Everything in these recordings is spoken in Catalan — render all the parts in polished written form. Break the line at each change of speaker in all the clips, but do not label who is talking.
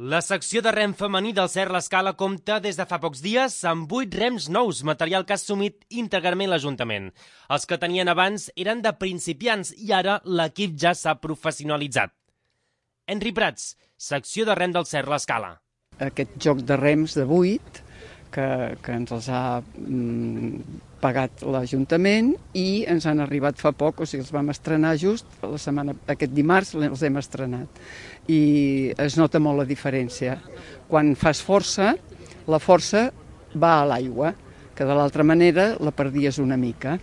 La secció de rem femení del Cert l'Escala compta des de fa pocs dies amb 8 rems nous, material que ha assumit íntegrament l'Ajuntament. Els que tenien abans eren de principiants i ara l'equip ja s'ha professionalitzat. Henry Prats, secció de rem del Cert l'Escala.
Aquest joc de rems de 8 que ens els ha pagat l'Ajuntament i ens han arribat fa poc, o sigui, els vam estrenar just aquest dimarts, els hem estrenat. I es nota molt la diferència. Quan fas força, la força va a l'aigua, que de l'altra manera la perdies una mica.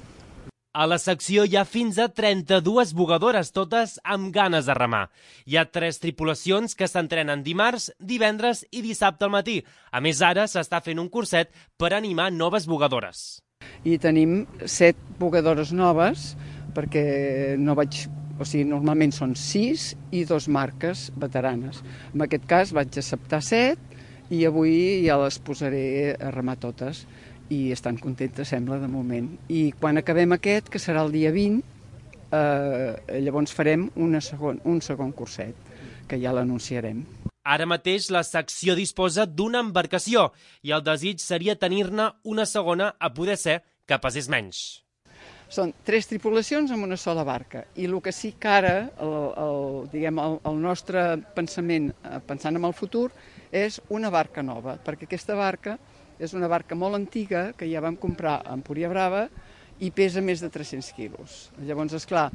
A la secció hi ha fins a 32 bugadores, totes amb ganes de remar. Hi ha 3 tripulacions que s'entrenen dimarts, divendres i dissabte al matí. A més, ara s'està fent un curset per animar noves bugadores.
I tenim 7 bugadores noves, perquè normalment són 6 i 2 marques veteranes. En aquest cas vaig acceptar 7 i avui ja les posaré a remar totes. I estan contentes, sembla, de moment. I quan acabem aquest, que serà el dia 20, llavors farem un segon curset, que ja l'anunciarem.
Ara mateix la secció disposa d'una embarcació i el desig seria tenir-ne una segona a poder ser que pesés menys.
Són 3 tripulacions amb una sola barca i el que sí que ara, el nostre pensament, pensant en el futur, és una barca nova, perquè aquesta barca és una barca molt antiga que ja vam comprar a Empúria Brava i pesa més de 300 quilos. Llavors, esclar,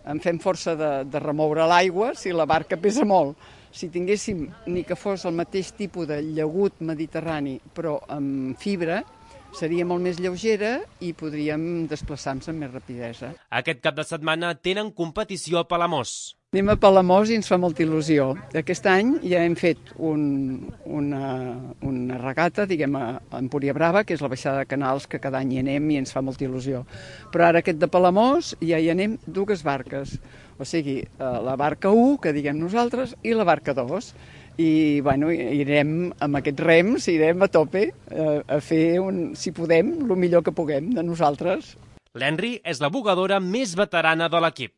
en fem força de remoure l'aigua si la barca pesa molt. Si tinguéssim ni que fos el mateix tipus de llagut mediterrani, però amb fibra, seria molt més lleugera i podríem desplaçar-nos amb més rapidesa.
Aquest cap de setmana tenen competició a Palamós.
Anem a Palamós i ens fa molta il·lusió. Aquest any ja hem fet una regata, diguem, a Empúria Brava, que és la baixada de Canals, que cada any hi anem i ens fa molta il·lusió. Però ara aquest de Palamós ja hi anem 2 barques. O sigui, la barca 1, que diguem nosaltres, i la barca 2. I irem amb aquests rems, irem a tope a fer, si podem, el millor que puguem de nosaltres.
L'Henry és la bugadora més veterana de l'equip.